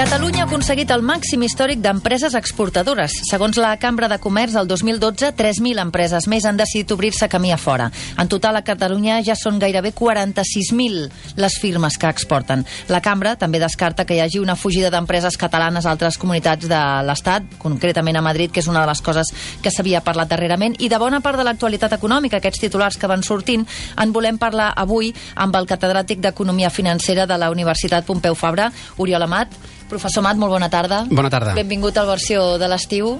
Catalunya ha aconseguit el màxim històric d'empreses exportadores. Segons la Cambra de Comerç, el 2012, 3.000 empreses més han decidit obrir-se camí a fora. En total, a Catalunya ja són gairebé 46.000 les firmes que exporten. La Cambra també descarta que hi hagi una fugida d'empreses catalanes a altres comunitats de l'Estat, concretament a Madrid, que és una de les coses que s'havia parlat darrerament, i de bona part de l'actualitat econòmica, aquests titulars que van sortint, en volem parlar avui amb el catedràtic d'Economia Financera de la Universitat Pompeu Fabra, Oriol Amat. Professor Amat, molt bona tarda. Bona tarda. Benvingut al Versió de l'estiu.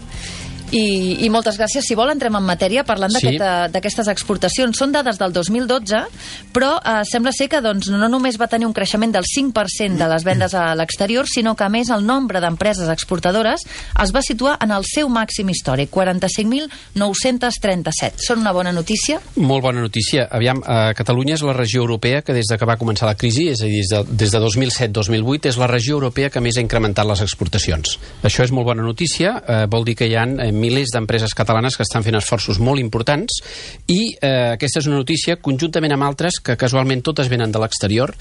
I moltes gràcies. Si vol, entrem en matèria parlant d'aquestes exportacions. Són dades del 2012, però sembla ser que no només va tenir un creixement del 5% de les vendes a l'exterior, sinó que, a més, el nombre d'empreses exportadores es va situar en el seu màxim històric, 45.937. Són una bona notícia? Molt bona notícia. Aviam, Catalunya és la regió europea que des que va començar la crisi, és a dir, des de 2007-2008, és la regió europea que més ha incrementat les exportacions. Això és molt bona notícia. Vol dir que hi ha milers d'empreses catalanes que estan fent esforços molt importants i aquesta és una notícia conjuntament amb altres que casualment totes venen de l'exterior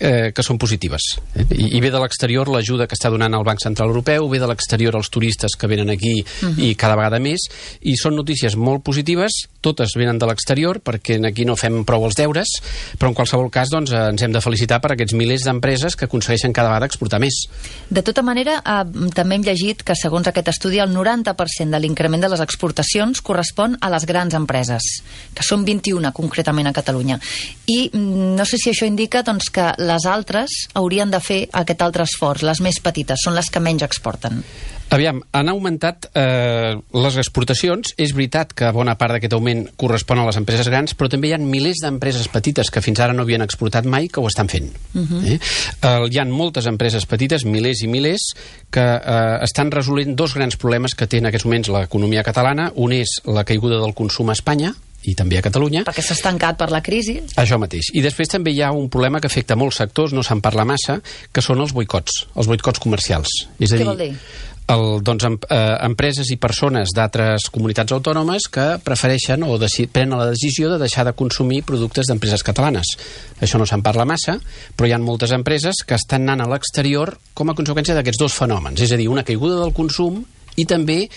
que són positives. I ve de l'exterior l'ajuda que està donant el Banc Central Europeu, ve de l'exterior els turistes que venen aquí i cada vegada més, i són notícies molt positives, totes venen de l'exterior perquè aquí no fem prou els deures, però en qualsevol cas ens hem de felicitar per aquests milers d'empreses que aconsegueixen cada vegada exportar més. De tota manera, també hem llegit que segons aquest estudi el 90% de l'increment de les exportacions correspon a les grans empreses, que són 21 concretament a Catalunya. I no sé si això indica que les altres haurien de fer aquest altre esforç, les més petites, són les que menys exporten. Aviam, han augmentat les exportacions. És veritat que bona part d'aquest augment correspon a les empreses grans, però també hi ha milers d'empreses petites que fins ara no havien exportat mai que ho estan fent. Hi ha moltes empreses petites, milers i milers, que estan resolent dos grans problemes que té en aquests moments l'economia catalana. Un és la caiguda del consum a Espanya, i també a Catalunya. Perquè s'ha estancat per la crisi. Això mateix. I després també hi ha un problema que afecta molts sectors, no se'n parla massa, que són els boicots comercials. És a dir, què vol dir? Empreses i persones d'altres comunitats autònomes que prefereixen o prenen la decisió de deixar de consumir productes d'empreses catalanes. Això no se'n parla massa, però hi ha moltes empreses que estan anant a l'exterior com a conseqüència d'aquests dos fenòmens. És a dir, una caiguda del consum i també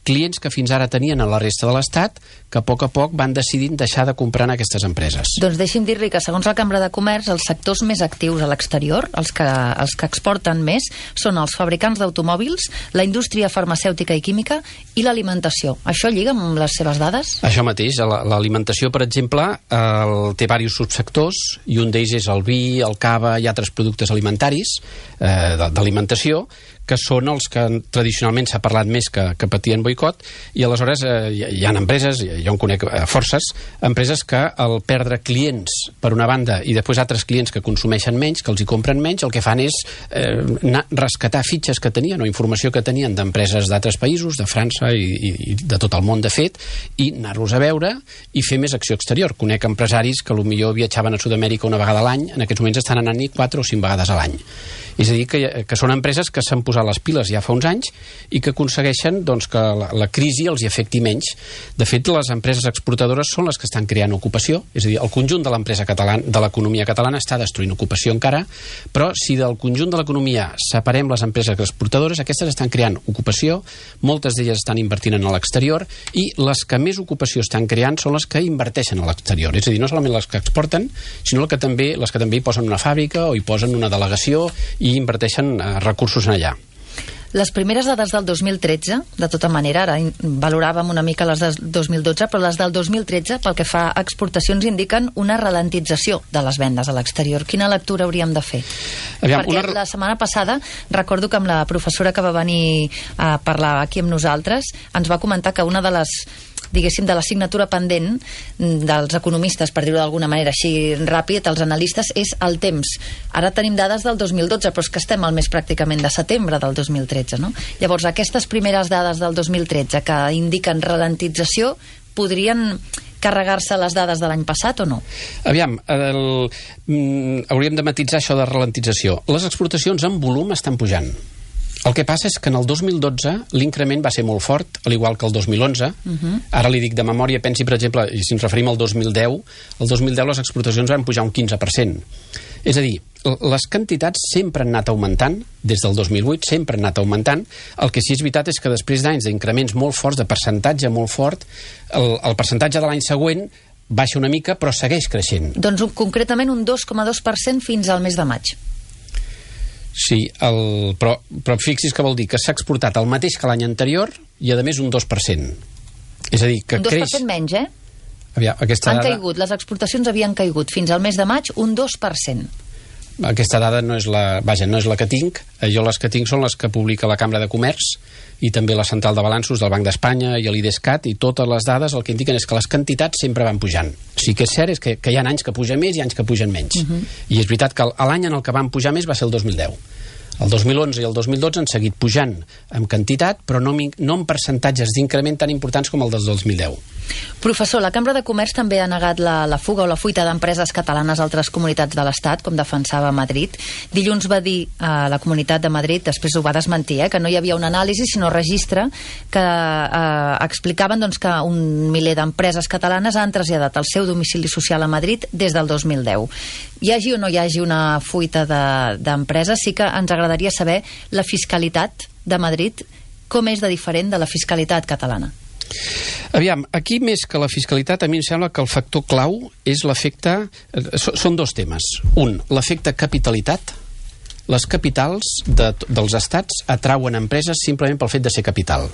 clients que fins ara tenien a la resta de l'Estat que a poc van decidint deixar de comprar en aquestes empreses. Doncs deixi'm dir-li que segons la Cambra de Comerç els sectors més actius a l'exterior, els que exporten més, són els fabricants d'automòbils, la indústria farmacèutica i química i l'alimentació. Això lliga amb les seves dades? Això mateix. L'alimentació, per exemple, té diversos subsectors i un d'ells és el vi, el cava i altres productes alimentaris d'alimentació, que són els que tradicionalment s'ha parlat més que patien boicot, i aleshores hi ha empreses, jo en conec forces, empreses que al perdre clients per una banda i després altres clients que consumeixen menys, que els hi compren menys, el que fan és rescatar fitxes que tenien o informació que tenien d'empreses d'altres països, de França i de tot el món de fet, i anar-los a veure i fer més acció exterior. Conec empresaris que potser viatjaven a Sud-amèrica una vegada a l'any, en aquests moments estan anant-hi 4 o 5 vegades a l'any. És a dir, que són empreses que s'han posat les piles ja fa uns anys i que aconsegueixen que la crisi els hi afecti menys. De fet, les empreses exportadores són les que estan creant ocupació, és a dir, el conjunt de l'economia catalana està destruint ocupació encara, però si del conjunt de l'economia separem les empreses exportadores, aquestes estan creant ocupació, moltes d'elles estan invertint en l'exterior i les que més ocupació estan creant són les que inverteixen a l'exterior, és a dir, no solament les que exporten, sinó les que també hi posen una fàbrica o hi posen una delegació i inverteixen recursos en allà. Les primeres dades del 2013, de tota manera, ara valoràvem una mica les del 2012, però les del 2013, pel que fa a exportacions, indiquen una ralentització de les vendes a l'exterior. Quina lectura hauríem de fer? Perquè la setmana passada, recordo que amb la professora que va venir a parlar aquí amb nosaltres, ens va comentar que una de les de l'assignatura pendent dels economistes, per dir-ho d'alguna manera així ràpid, els analistes, és el temps. Ara tenim dades del 2012, però és que estem al mes pràcticament de setembre del 2013, no? Llavors, aquestes primeres dades del 2013 que indiquen ralentització, podrien carregar-se les dades de l'any passat o no? Aviam, hauríem de matisar això de ralentització. Les exportacions en volum estan pujant. El que passa és que en el 2012 l'increment va ser molt fort, al igual que el 2011. Ara li dic de memòria, pensi, per exemple, i si ens referim al 2010, el 2010 les exportacions van pujar un 15%. És a dir, les quantitats sempre han anat augmentant, des del 2008 sempre han anat augmentant. El que sí és veritat és que després d'anys d'increments molt forts, de percentatge molt fort, el percentatge de l'any següent baixa una mica, però segueix creixent. Doncs concretament un 2,2% fins al mes de maig. Sí, però fixi's que vol dir que s'ha exportat el mateix que l'any anterior i, a més, un 2%. És a dir, que un 2% creix... menys, eh? Aviam, han caigut, les exportacions havien caigut fins al mes de maig un 2%. Aquesta dada no és no és la que tinc. Jo les que tinc són les que publica la Cambra de Comerç i també la Central de Balanços del Banc d'Espanya i l'IDESCAT, i totes les dades el que indiquen és que les quantitats sempre van pujant. Sí que és cert és que hi ha anys que pugen més i anys que pugen menys. I és veritat que l'any en el que van pujar més va ser el 2010. El 2011 i el 2012 han seguit pujant en quantitat, però no en percentatges d'increment tan importants com el del 2010. Professor, la Cambra de Comerç també ha negat la fuga o la fuita d'empreses catalanes a altres comunitats de l'Estat, com defensava Madrid. Dilluns va dir a la Comunitat de Madrid, després ho va desmentir, que no hi havia una anàlisi, sinó registre, que explicaven doncs, que un miler d'empreses catalanes han traslladat el seu domicili social a Madrid des del 2010. Hi hagi o no hi hagi una fuita d'empreses, sí que ens agradaria saber la fiscalitat de Madrid, com és de diferent de la fiscalitat catalana. Aviam, aquí més que la fiscalitat, a mi em sembla que el factor clau és l'efecte... Són dos temes. Un, l'efecte capitalitat. Les capitals dels estats atrauen empreses simplement pel fet de ser capital.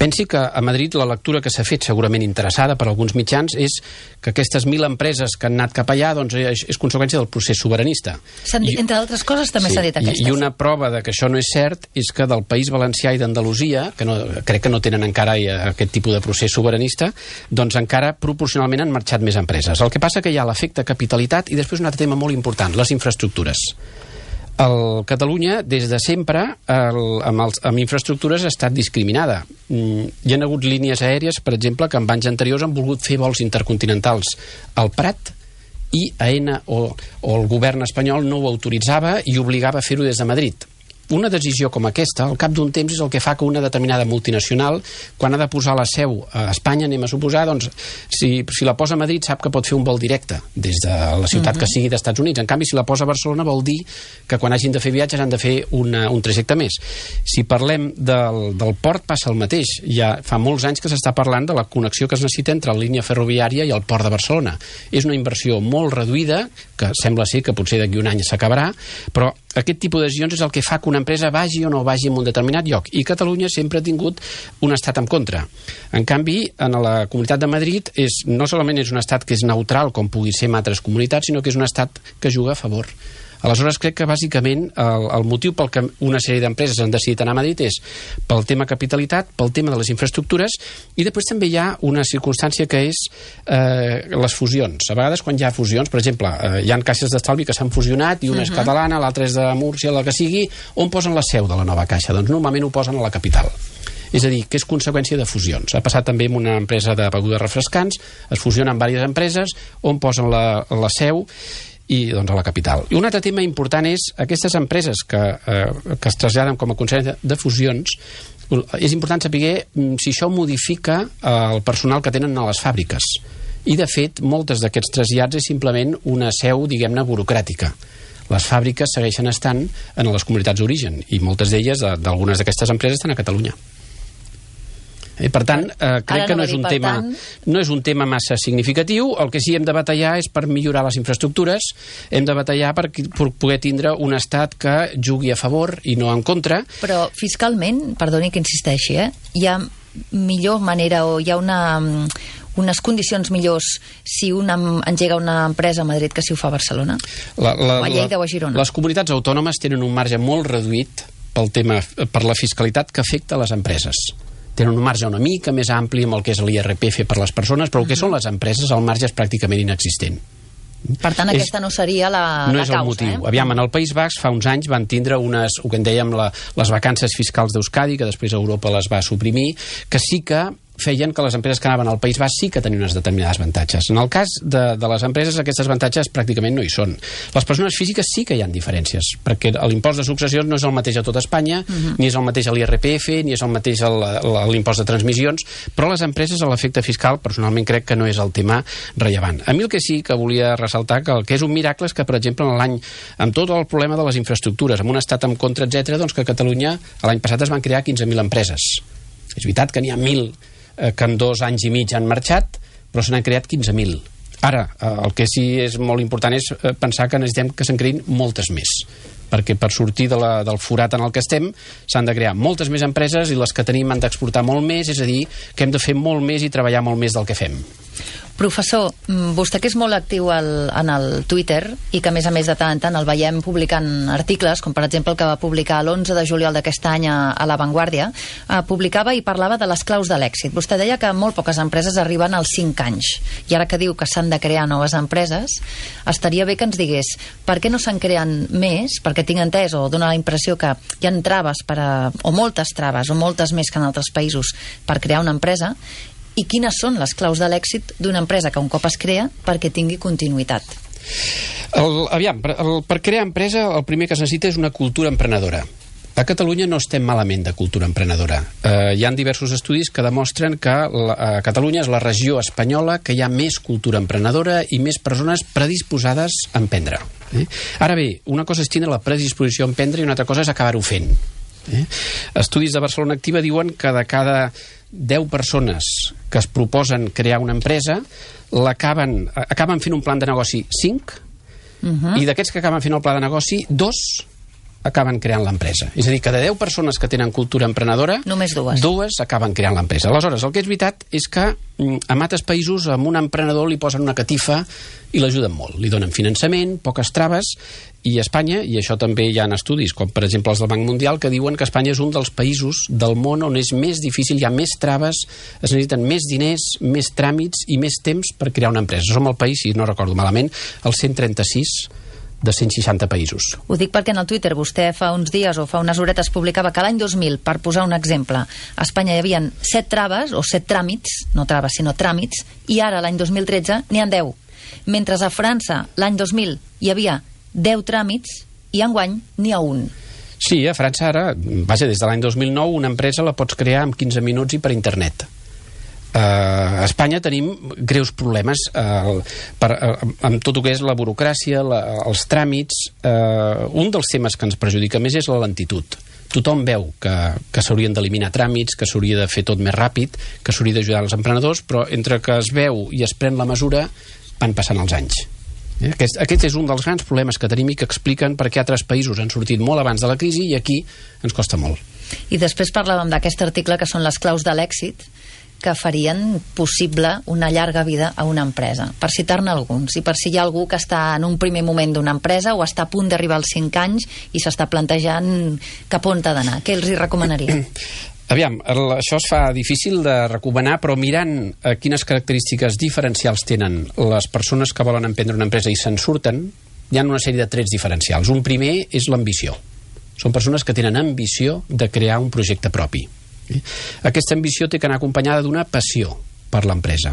Pensi que a Madrid la lectura que s'ha fet, segurament interessada per alguns mitjans, és que aquestes 1.000 empreses que han anat cap allà doncs és conseqüència del procés sobiranista. Entre altres coses també s'ha dit aquesta. I una prova de que això no és cert és que del País Valencià i d'Andalusia, que crec que no tenen encara aquest tipus de procés sobiranista, doncs encara proporcionalment han marxat més empreses. El que passa que hi ha l'efecte capitalitat i després un altre tema molt important, les infraestructures. Catalunya, des de sempre, amb infraestructures ha estat discriminada. Hi ha hagut línies aèries, per exemple, que en anys anteriors han volgut fer vols intercontinentals al Prat i AENA o el govern espanyol no ho autoritzava i obligava a fer-ho des de Madrid. Una decisió com aquesta, al cap d'un temps, és el que fa que una determinada multinacional, quan ha de posar la seu a Espanya, anem a suposar, doncs, si la posa a Madrid sap que pot fer un vol directe des de la ciutat que sigui d'Estats Units. En canvi, si la posa a Barcelona vol dir que quan hagin de fer viatges han de fer un trajecte més. Si parlem del port passa el mateix. Ja fa molts anys que s'està parlant de la connexió que es necessita entre la línia ferroviària i el port de Barcelona. És una inversió molt reduïda, que sembla ser que potser d'aquí un any s'acabarà, però aquest tipus de decisions és el que fa que una empresa vagi o no vagi en un determinat lloc. I Catalunya sempre ha tingut un estat en contra. En canvi, en la Comunitat de Madrid no solament és un estat que és neutral, com pugui ser en altres comunitats, sinó que és un estat que juga a favor. Aleshores, crec que bàsicament el motiu pel que una sèrie d'empreses han decidit anar a Madrid és pel tema capitalitat, pel tema de les infraestructures, i després també hi ha una circumstància que és les fusions. A vegades quan hi ha fusions, per exemple, hi ha caixes d'estalvi que s'han fusionat i una és catalana, l'altra és de Múrcia, la que sigui, on posen la seu de la nova caixa? Doncs normalment ho posen a la capital. És a dir, que és conseqüència de fusions. Ha passat també amb una empresa de begudes refrescants, es fusionen diverses empreses, on posen la seu i doncs a la capital. I un altre tema important és aquestes empreses que es traslladen com a conseqüència de fusions. És important saber si això modifica el personal que tenen a les fàbriques. I, de fet, moltes d'aquests trasllats és simplement una seu, diguem-ne, burocràtica. Les fàbriques segueixen estant en les comunitats d'origen i moltes d'elles, d'algunes d'aquestes empreses, estan a Catalunya. Per tant, crec que no és un tema massa significatiu. El que sí hem de batallar és per millorar les infraestructures, hem de batallar per poder tindre un estat que jugui a favor i no en contra. Però fiscalment, perdoni que insisteixi, hi ha millor manera o hi ha unes condicions millors si engega una empresa a Madrid que si ho fa a Barcelona? O a Lleida o a Girona? Les comunitats autònomes tenen un marge molt reduït per la fiscalitat que afecta les empreses. Tenen un marge una mica més ampli amb el que és l'IRPF per les persones, però el que són les empreses, el marge és pràcticament inexistent. Per tant, aquesta no seria la causa. No és el motiu. Aviam, en el País Basc fa uns anys van tindre el que en dèiem les vacances fiscals d'Euskadi, que després Europa les va suprimir, que sí que feien que les empreses que anaven al País Basc sí que tenien unes determinades avantatges. En el cas de les empreses, aquestes avantatges pràcticament no hi són. Les persones físiques sí que hi ha diferències, perquè l'impost de successions no és el mateix a tot Espanya, ni és el mateix a l'IRPF, ni és el mateix a l'impost de transmissions, però les empreses, a l'efecte fiscal, personalment crec que no és el tema rellevant. A mi el que sí que volia ressaltar, que el que és un miracle és que, per exemple, amb tot el problema de les infraestructures, amb un estat en contra, etc., doncs que a Catalunya l'any passat es van crear 15.000 empreses. És veritat que n'hi ha 1.000 que en 2 anys i mig han marxat, però se n'han creat 15.000. Ara, el que sí és molt important és pensar que necessitem que se'n creïn moltes més, perquè per sortir del forat en el que estem s'han de crear moltes més empreses i les que tenim han d'exportar molt més, és a dir, que hem de fer molt més i treballar molt més del que fem. Professor, vostè que és molt actiu en el Twitter i que a més de tant en tant el veiem publicant articles, com per exemple el que va publicar l'11 de juliol d'aquest any a La Vanguardia, publicava i parlava de les claus de l'èxit. Vostè deia que molt poques empreses arriben als 5 anys, i ara que diu que s'han de crear noves empreses, estaria bé que ens digués per què no se'n creen més, perquè tinc entès o dona la impressió que hi ha traves o moltes traves o moltes més que en altres països per crear una empresa, i quines són les claus de l'èxit d'una empresa que un cop es crea perquè tingui continuïtat? Per crear empresa el primer que es necessita és una cultura emprenedora. A Catalunya no estem malament de cultura emprenedora. Hi ha diversos estudis que demostren que Catalunya és la regió espanyola que hi ha més cultura emprenedora i més persones predisposades a emprendre. Ara bé, una cosa és tindre la predisposició a emprendre i una altra cosa és acabar-ho fent. Estudis de Barcelona Activa diuen que de cada 10 persones que es proposen crear una empresa acaben fent un plan de negoci 5 i d'aquests que acaben fent el pla de negoci 2 acaben creant l'empresa. És a dir, que de 10 persones que tenen cultura emprenedora, només 2 acaben creant l'empresa. Aleshores, el que és veritat és que en altres països a un emprenedor li posen una catifa i l'ajuden molt. Li donen finançament, poques traves, i a Espanya, i això també hi ha estudis, com per exemple els del Banc Mundial, que diuen que Espanya és un dels països del món on és més difícil, hi ha més traves, es necessiten més diners, més tràmits i més temps per crear una empresa. Som el país, si no recordo malament, el 136 de 160 països. Ho dic perquè en el Twitter vostè fa uns dies o fa unes horetes publicava que l'any 2000, per posar un exemple, a Espanya hi havia 7 traves o 7 tràmits, no traves sinó tràmits, i ara l'any 2013 n'hi ha 10. Mentre a França l'any 2000 hi havia 10 tràmits i enguany n'hi ha un. Sí, a França ara, des de l'any 2009 una empresa la pots crear en 15 minuts i per internet. A Espanya tenim greus problemes amb tot el que és la burocràcia, els tràmits. Un dels temes que ens perjudica més és la lentitud. Tothom veu que s'haurien d'eliminar tràmits, que s'hauria de fer tot més ràpid, que s'hauria d'ajudar els emprenedors, però entre que es veu i es pren la mesura van passant els anys. Aquest és un dels grans problemes que tenim i que expliquen per què altres països han sortit molt abans de la crisi i aquí ens costa molt. I després parlàvem d'aquest article que són les claus de l'èxit que farien possible una llarga vida a una empresa. Per citar-ne alguns, i per si hi ha algú que està en un primer moment d'una empresa o està a punt d'arribar als 5 anys i s'està plantejant cap on ha d'anar, què els hi recomanaria? Aviam, això es fa difícil de recomanar, però mirant quines característiques diferencials tenen les persones que volen emprendre una empresa i se'n surten, hi ha una sèrie de trets diferencials. Un primer és l'ambició. Són persones que tenen ambició de crear un projecte propi. Aquesta ambició té que anar acompanyada d'una passió per l'empresa,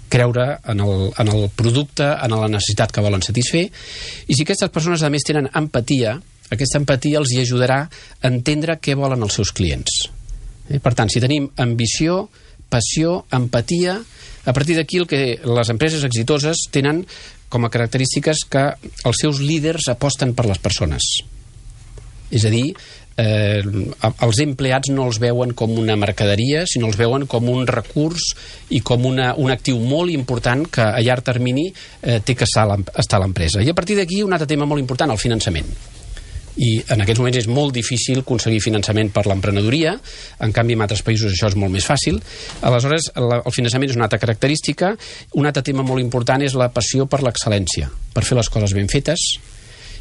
creure en el producte, en la necessitat que volen satisfer, i si aquestes persones a més tenen empatia, aquesta empatia els hi ajudarà a entendre què volen els seus clients. Per tant, si tenim ambició, passió, empatia, a partir d'aquí el que les empreses exitoses tenen com a característiques que els seus líders aposten per les persones. És a dir, els empleats no els veuen com una mercaderia, sinó els veuen com un recurs i com un actiu molt important que a llarg termini té que estar a l'empresa. I a partir d'aquí un altre tema molt important, el finançament. I en aquests moments és molt difícil aconseguir finançament per l'emprenedoria, en canvi en altres països això és molt més fàcil. Aleshores, el finançament és una altra característica. Un altre tema molt important és la passió per l'excel·lència, per fer les coses ben fetes.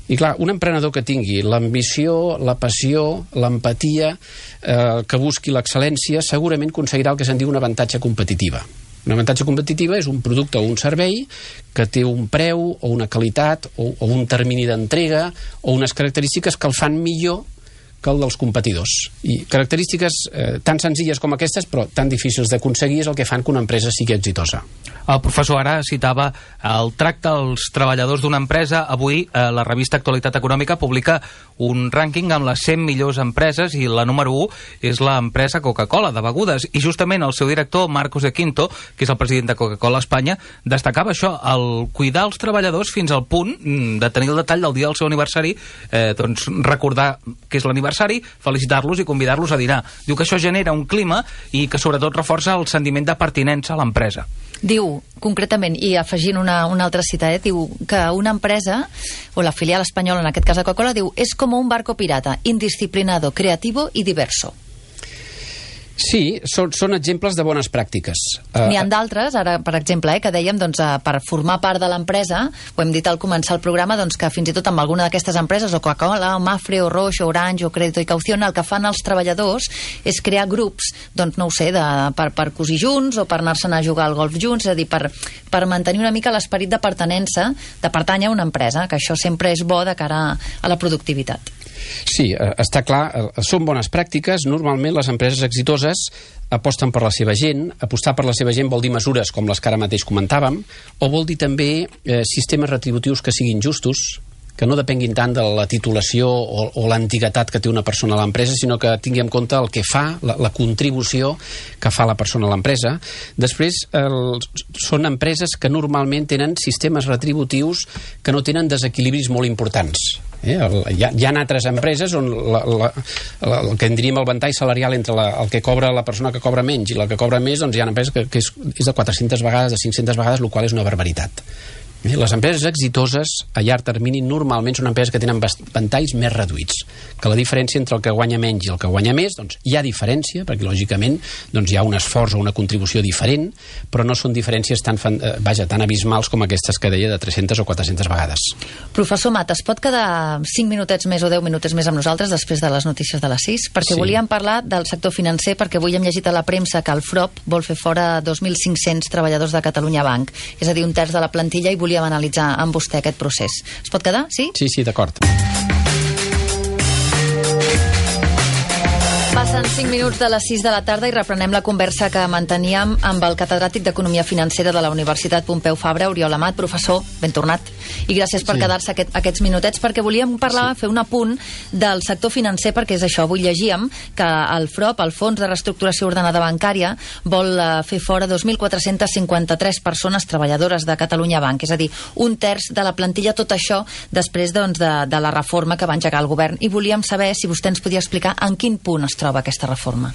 I clar, un emprenedor que tingui l'ambició, la passió, l'empatia, que busqui l'excel·lència, segurament aconseguirà el que se'n diu un avantatge competitiva. Un avantatge competitiva és un producte o un servei que té un preu o una qualitat o un termini d'entrega o unes característiques que el fan millor que el dels competidors. I característiques tan senzilles com aquestes, però tan difícils d'aconseguir, és el que fan que una empresa sigui exitosa. El professor ara citava el tracte als treballadors d'una empresa. Avui la revista Actualitat Econòmica publica un rànquing amb les 100 millors empreses i la número 1 és l'empresa Coca-Cola de begudes. I justament el seu director, Marcos de Quinto, que és el president de Coca-Cola Espanya, destacava això, el cuidar els treballadors fins al punt de tenir el detall del dia del seu aniversari, doncs recordar que és l'aniversari, felicitar-los i convidar-los a dinar. Diu que això genera un clima i que sobretot reforça el sentiment de pertinença a l'empresa. Diu, concretament, i afegint una altra cita, diu que una empresa, o la filial espanyola, en aquest cas de Coca-Cola, diu, és com un barco pirata, indisciplinado, creativo y diverso. Sí, són exemples de bones pràctiques. N'hi ha d'altres, ara, per exemple, que dèiem, doncs, per formar part de l'empresa, ho hem dit al començar el programa, doncs, que fins i tot amb alguna d'aquestes empreses, o Coca-Cola, o Mafre, o Roche, o Orange, o Crédito i Caución, el que fan els treballadors és crear grups, doncs, no ho sé, per cosir junts, o per anar-se'n a jugar al golf junts, és a dir, per mantenir una mica l'esperit de pertinença, de pertànyer a una empresa, que això sempre és bo de cara a la productivitat. Sí, està clar, són bones pràctiques. Normalment les empreses exitoses aposten per la seva gent. Apostar per la seva gent vol dir mesures com les que ara mateix comentàvem, o vol dir també sistemes retributius que siguin justos, que no depenguin tant de la titulació o l'antiguitat que té una persona a l'empresa, sinó que tingui en compte el que fa, la contribució que fa la persona a l'empresa. Després, són empreses que normalment tenen sistemes retributius que no tenen desequilibris molt importants. Hi ha altres empreses on el que en diríem el ventall salarial entre el que cobra la persona que cobra menys i la que cobra més, doncs hi ha empreses que és de 400 vegades, de 500 vegades, el qual és una barbaritat. Les empreses exitoses a llarg termini normalment són empreses que tenen ventalls més reduïts, que la diferència entre el que guanya menys i el que guanya més, doncs hi ha diferència, perquè lògicament doncs, hi ha un esforç o una contribució diferent, però no són diferències tan abismals com aquestes que deia de 300 o 400 vegades. Professor Mat, es pot quedar 5 minutets més o 10 minutets més amb nosaltres després de les notícies de les 6? Perquè volíem parlar del sector financer, perquè avui hem llegit a la premsa que el FROP vol fer fora 2.500 treballadors de Catalunya Banc, és a dir, un terç de la plantilla, i volíem analitzar amb vostè aquest procés. Es pot quedar? Sí? Sí, d'acord. Passen 5 minuts de les 6 de la tarda i reprenem la conversa que manteníem amb el catedràtic d'Economia Financera de la Universitat Pompeu Fabra, Oriol Amat. Professor, ben tornat. I gràcies per quedar-se aquests minutets, perquè volíem parlar, fer un apunt del sector financer, perquè és això. Avui llegíem que el FROP, el Fons de Reestructuració Ordenada Bancària, vol fer fora 2.453 persones treballadores de Catalunya Banc, és a dir, un terç de la plantilla, tot això després doncs, de la reforma que va engegar el govern. I volíem saber si vostè ens podia explicar en quin punt es troba aquesta reforma.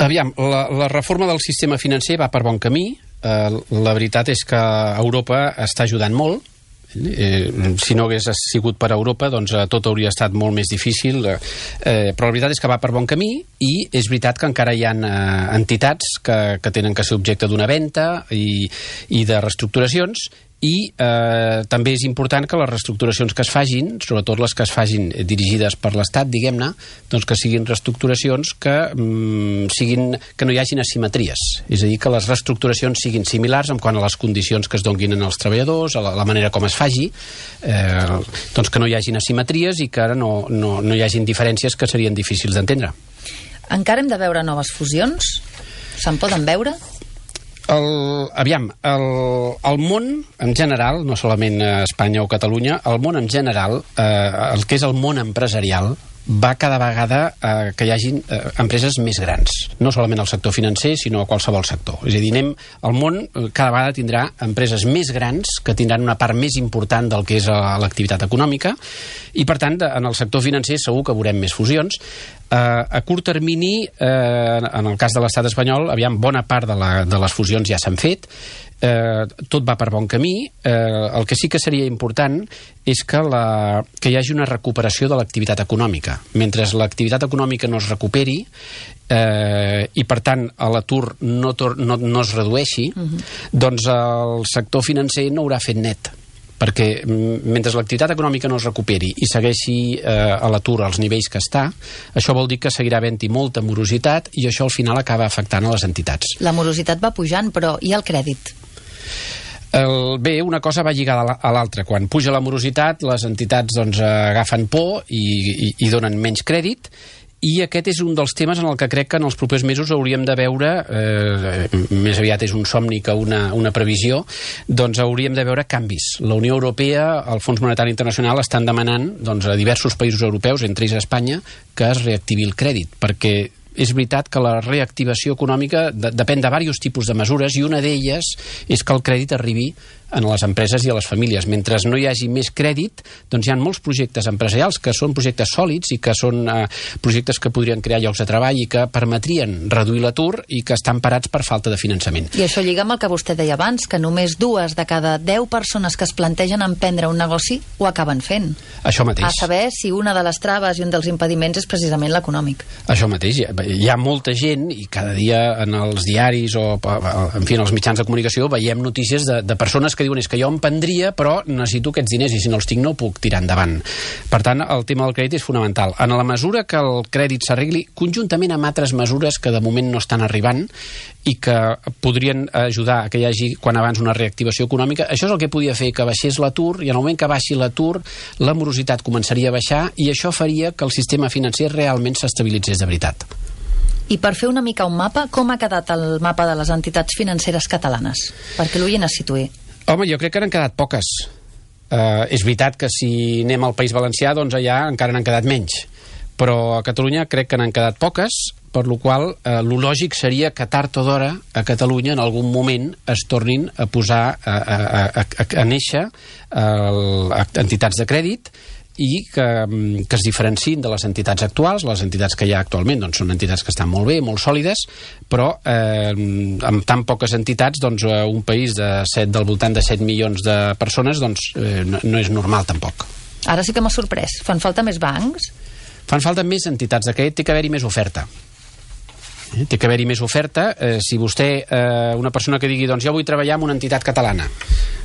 Aviam, la reforma del sistema financer va per bon camí. La veritat és que Europa està ajudant molt. Si no hagués sigut per Europa, doncs tot hauria estat molt més difícil, però la veritat és que va per bon camí, i és veritat que encara hi ha entitats que tenen que ser objecte d'una venda i de reestructuracions, i també és important que les reestructuracions que es fagin, sobretot les que es fagin dirigides per l'Estat, diguem-ne, doncs que siguin reestructuracions que no hi hagin asimetries, és a dir, que les reestructuracions siguin similars en quant a les condicions que es donin als treballadors, a la manera com es faci, doncs que no hi hagin asimetries i que ara no hi hagin diferències que serien difícils d'entendre. Encara hem de veure noves fusions? Se'n poden veure? Aviam, el món en general, no solament Espanya o Catalunya, el món en general, el que és el món empresarial, va cada vegada que hi hagin empreses més grans, no solament al sector financer, sinó a qualsevol sector. És a dir, el món cada vegada tindrà empreses més grans que tindran una part més important del que és l'activitat econòmica, i per tant en el sector financer segur que veurem més fusions. A curt termini, en el cas de l'estat espanyol, aviam, bona part de les fusions ja s'han fet, tot va per bon camí. El que sí que seria important és que hi hagi una recuperació de l'activitat econòmica. Mentre l'activitat econòmica no es recuperi i per tant l'atur no es redueixi, doncs el sector financer no haurà fet net, perquè mentre l'activitat econòmica no es recuperi i segueixi a l'atur als nivells que està, això vol dir que seguirà havent-hi molta morositat, i això al final acaba afectant a les entitats. La morositat va pujant, però i el crèdit? Bé, una cosa va lligada a l'altra. Quan puja la morositat, les entitats agafen por i donen menys crèdit, I aquest és un dels temes en el que crec que en els propers mesos hauríem de veure, més aviat és un somni que una previsió, doncs hauríem de veure canvis. La Unió Europea, el Fons Monetari Internacional estan demanant doncs, a diversos països europeus, entre ells Espanya, que es reactivi el crèdit, perquè és veritat que la reactivació econòmica depèn de diversos tipus de mesures i una d'elles és que el crèdit arribi a les empreses i a les famílies. Mentre no hi hagi més crèdit, doncs hi ha molts projectes empresarials que són projectes sòlids i que són projectes que podrien crear llocs de treball i que permetrien reduir l'atur i que estan parats per falta de finançament. I això lliga amb el que vostè deia abans, que només 2 de cada 10 persones que es plantegen emprendre un negoci ho acaben fent. Això mateix. A saber si una de les traves i un dels impediments és precisament l'econòmic. Això mateix. Hi ha molta gent i cada dia en els diaris o en fi, en els mitjans de comunicació veiem notícies de persones que diuen és que jo em prendria però necessito aquests diners i si no els tinc no puc tirar endavant. Per tant, el tema del crèdit és fonamental. En la mesura que el crèdit s'arregli conjuntament amb altres mesures que de moment no estan arribant i que podrien ajudar a que hi hagi quan abans una reactivació econòmica, això és el que podia fer que baixés l'atur i en el moment que baixi l'atur la morositat començaria a baixar i això faria que el sistema financer realment s'estabilitzés de veritat. I per fer una mica un mapa, com ha quedat el mapa de les entitats financeres catalanes? Perquè l'oient es situï. Home, jo crec que n'han quedat poques. És veritat que si anem al País Valencià, doncs allà encara n'han quedat menys. Però a Catalunya crec que n'han quedat poques, per lo qual lo lògic seria que tard o d'hora a Catalunya en algun moment es tornin a posar a néixer entitats de crèdit i que es diferenciïn de les entitats actuals. Les entitats que hi ha actualment doncs, són entitats que estan molt bé, molt sòlides, però amb tan poques entitats doncs, un país del voltant de 7 milions de persones doncs, no és normal tampoc. Ara sí que m'ha sorprès. Fan falta més bancs? Fan falta més entitats de crèdit, té que haver-hi més oferta. Té que haver-hi més oferta. Si vostè, una persona que digui doncs jo vull treballar en una entitat catalana,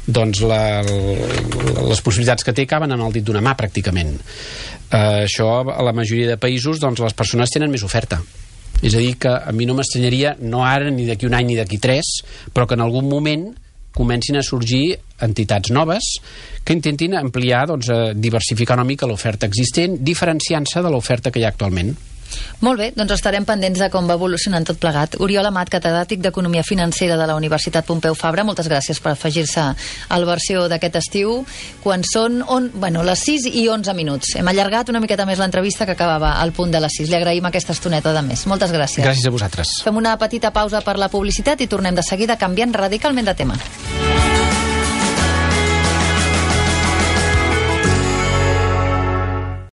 doncs les possibilitats que té caben en el dit d'una mà pràcticament. Això a la majoria de països doncs les persones tenen més oferta. És a dir que a mi no m'estranyaria, no ara ni d'aquí un any ni d'aquí 3, però que en algun moment comencin a sorgir entitats noves que intentin ampliar, doncs, diversificar una mica l'oferta existent, diferenciant-se de l'oferta que hi ha actualment. Molt bé, doncs estarem pendents de com va evolucionant tot plegat. Oriol Amat, catedràtic d'Economia Financera de la Universitat Pompeu Fabra, moltes gràcies per afegir-se al versió d'aquest estiu, quan són les 6 i 11 minuts. Hem allargat una miqueta més l'entrevista que acabava al punt de les 6. Li agraïm aquesta estoneta de més. Moltes gràcies. Gràcies a vosaltres. Fem una petita pausa per la publicitat i tornem de seguida canviant radicalment de tema.